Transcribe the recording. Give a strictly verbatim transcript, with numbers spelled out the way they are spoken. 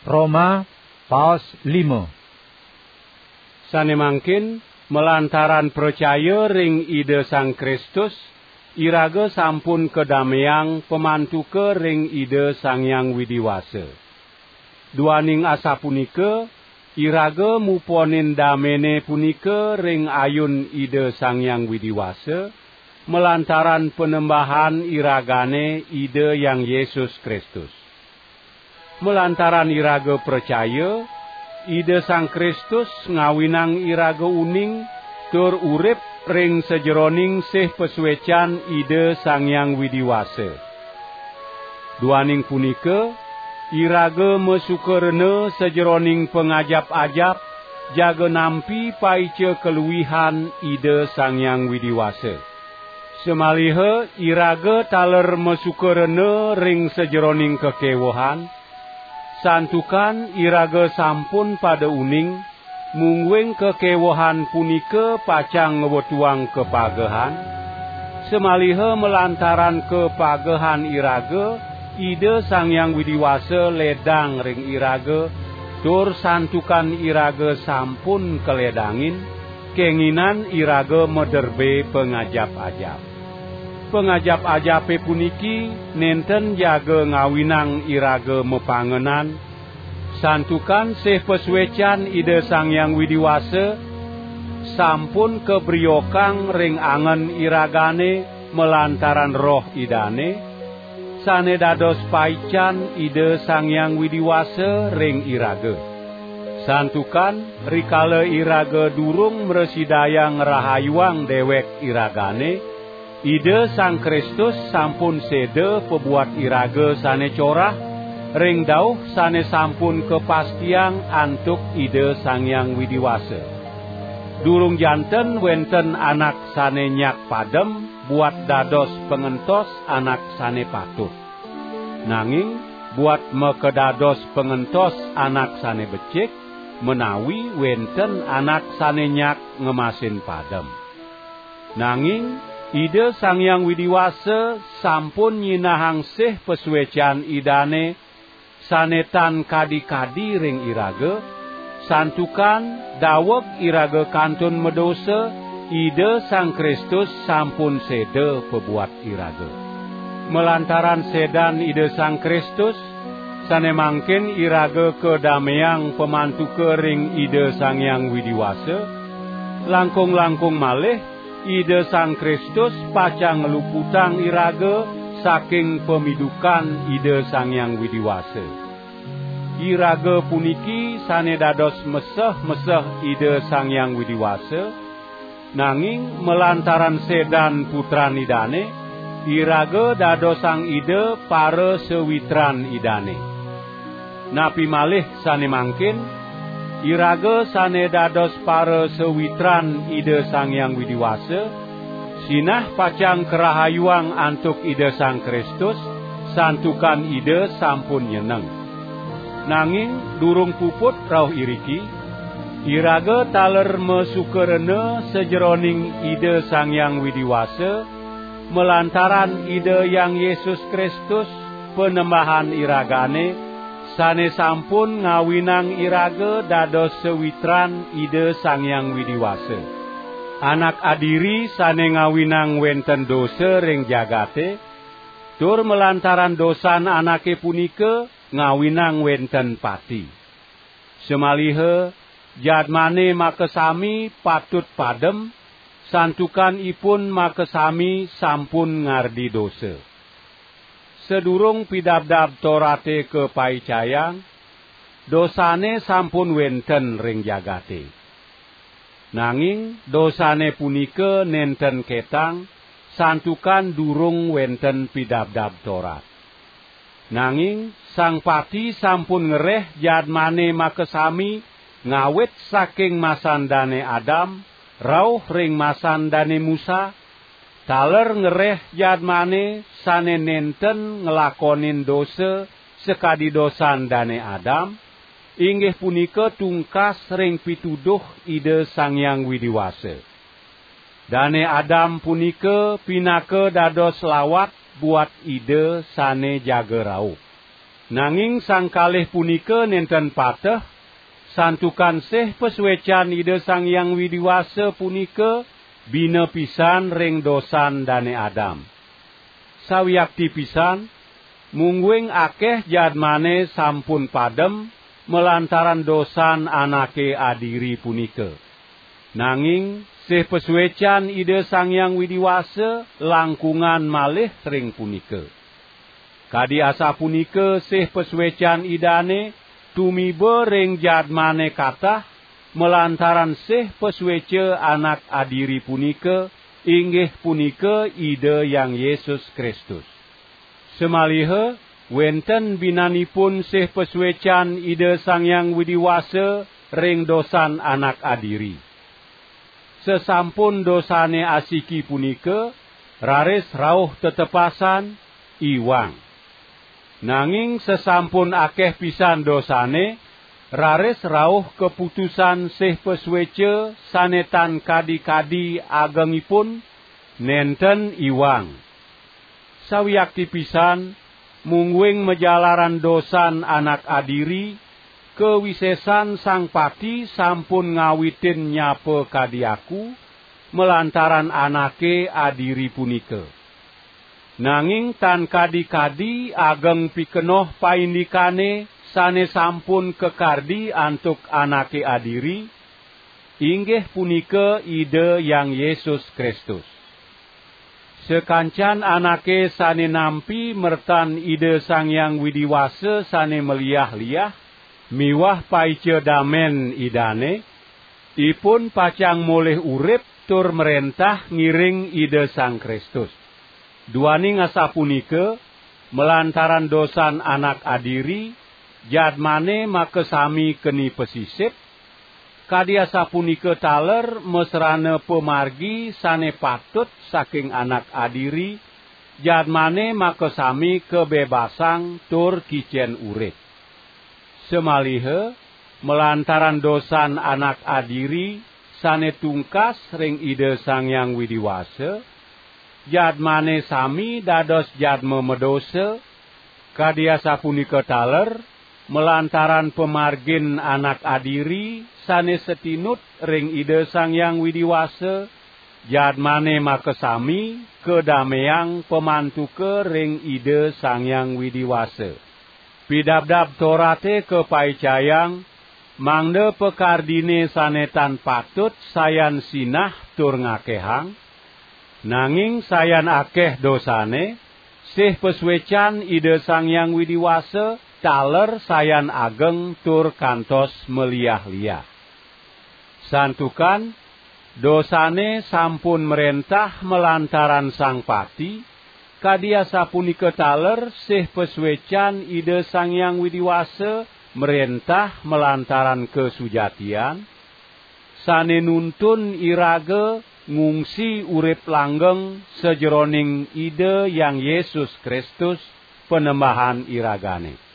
Roma, paos lima. Sane mangkin, malantaran pracaya ring Ida Sang Kristus, iraga sampun kadameang pamantuka ring Ida Sang Hyang Widi Wasa. Duaning asapunika, iraga muponin damene punika ring ayun Ida Sang Hyang Widi Wasa, malantaran Panembahan iragane Ida Hyang Yesus Kristus. Malantaran iraga pracaya, Ida Sang Kristus ngawinang iraga uning tur urip ring sajeroning sih pasuecan Ida Sang Hyang Widi Wasa. Duaning punika, iraga masuka rena sajeroning pangajap-ajap, jaga nampi paica kaluihan Ida Sang Hyang Widi Wasa. Samaliha iraga taler masuka rena ring sajeroning kakewehan, santukan iraga sampun pada uning, mungguing kakewehan punika pacang ngwetuang kapagehan, samaliha malantaran kapagehan iraga, Ida Sang Hyang Widi Wasa ledang ring iraga, tur santukan iraga sampun kaledangin, kenginan iraga maderbe pangajap-ajap. Pangajap-ajape puniki nenten jaga ngawinang iraga mapangenan, santukan sih pasuecan Ida Sang Hyang Widi Wasa sampun kabriokang ring angen iragane malantaran Roh Idane, sane dados paican Ida Sang Hyang Widi Wasa ring iraga. Santukan rikala iraga durung mrasidayang ngrahayuang dewek iragane, Ida Sang Kristus sampun seda pabuat iraga sane corah ring dauh sane sampun kapastiang antuk Ida Sang Hyang Widi Wasa. Durung janten wenten anak sane nyak padem buat dados pangentos anak sane patut. Nanging buat makadados pangentos anak sane becik, menawi wenten anak sane nyak ngemasin padem. Nanging Ida Sang Hyang Widi Wasa sampun nyinahang sih pasuecan Idane sane tan kadi-kadi ring iraga, santukan daweg iraga kantun madosa, Ida Sang Kristus sampun seda pabuat iraga. Malantaran sedan Ida Sang Kristus, sane mangkin iraga kadameang pamantuka ring Ida Sang Hyang Widi Wasa, langkung-langkung malih Ida Sang Kristus pacang ngluputang iraga saking pamidukan Ida Sang Hyang Widi Wasa. Iraga puniki sane dados meseh-meseh Ida Sang Hyang Widi Wasa, nanging malantaran sedan Putran Idane, iraga dadosang Ida parasawitran Idane. Napi malih sane mangkin, iraga sane dados parasawitran Ida Sang Hyang Widi Wasa, sinah pacang karahayuang antuk Ida Sang Kristus, santukan Ida sampun nyeneng. Nanging durung puput rauh iriki, iraga taler masuka rena sajeroning Ida Sang Hyang Widi Wasa, malantaran Ida Hyang Yesus Kristus, Panembahan iragane, sane sampun ngawinang iraga dados sawitran Ida Sang Hyang Widi Wasa. Anak adiri sane ngawinang wenten dosa ring jagate, tur malantaran dosan anake punika ngawinang wenten pati. Samaliha jadmane makasami patut padem, santukan ipun makasami sampun ngardi dosa. Sadurung Pidabdab Torate kapaicayang, dosane sampun wenten ring jagate. Nanging dosane punika nenten ketang, santukan durung wenten Pidabdab Torat. Nanging Sang Pati sampun ngreh jadmane makasami ngawit saking masan Dane Adam rauh ring masan Dane Musa, taler ngreh jadmane sane nenten nglakonin dosa sakadi dosan Dane Adam, inggih punika tungkas ring pituduh Ida Sang Hyang Widi Wasa. Dane Adam punika pinaka dados lawat buat Ida sane jaga rauh. Nanging sang kalih punika nenten pateh, santukan sih pasuecan Ida Sang Hyang Widi Wasa punika bina pisan ring dosan Dane Adam. Sawiakti pisan, mungguing akeh jadmane sampun padem malantaran dosan anake adiri punika. Nanging sih pasuecan Ida Sang Hyang Widi Wasa langkungan malih ring punika. Kadi asapunika sih pasuecan Idane tumiba ring jadmane katah malantaran sih pasueca anak adiri punika, inggih punika Ida Hyang Yesus Kristus. Samaliha wenten binanipun sih pasuecan Ida Sang Hyang Widi Wasa ring dosan anak adiri. Sasampun dosane asiki punika, raris rauh tetepasan, iwang. Nanging sasampun akeh pisan dosane, raris rauh kaputusan sih pasueca sane tan kadi-kadi agengipun, nenten iwang. Sawiakti pisan, mungguing majalaran dosan anak adiri, kawisesan sang pati sampun ngawitin nyapa kadi aku, malantaran anake adiri punika. Nanging tan kadi-kadi ageng pikenoh paindikane sane sampun kakardi antuk anake adiri, inggih punika Ida Hyang Yesus Kristus. Sakancan anake sane nampi mertan Ida Sang Hyang Widi Wasa sane maliah-liah miwah paica damen Idane, ipun pacang molih urip tur mrentah ngiring Ida Sang Kristus. Duaning asapunika, malantaran dosan anak adiri, jadmane makasami keni pasisip, kadi asapunika taler masrana pamargi sane patut saking anak adiri, jadmane makasami kabebasang tur kicen urip. Samaliha, malantaran dosan anak adiri sane tungkas ring Ida Sang Hyang Widi Wasa, jadmane sami dados jadma madosa, kadi asapunika taler, malantaran pamargin anak adiri sane satinut ring Ida Sang Hyang Widi Wasa, jadmane makasami kadameang pamantuka ring Ida Sang Hyang Widi Wasa. Pidabdab Torate kapaicayang, mangda pakardine sane tan patut sayan sinah tur ngakehang, nanging sayan akeh dosane, sih pasuecan Ida Sang Hyang Widi Wasa taler sayan ageng tur kantos maliah-liah. Santukan dosane sampun mrentah malantaran sang pati, kadi asapunika taler sih pasuecan Ida Sang Hyang Widi Wasa mrentah malantaran kasujatian, sane nuntun iraga ngungsi urip langgeng sajeroning Ida Hyang Yesus Kristus, Panembahan iragane.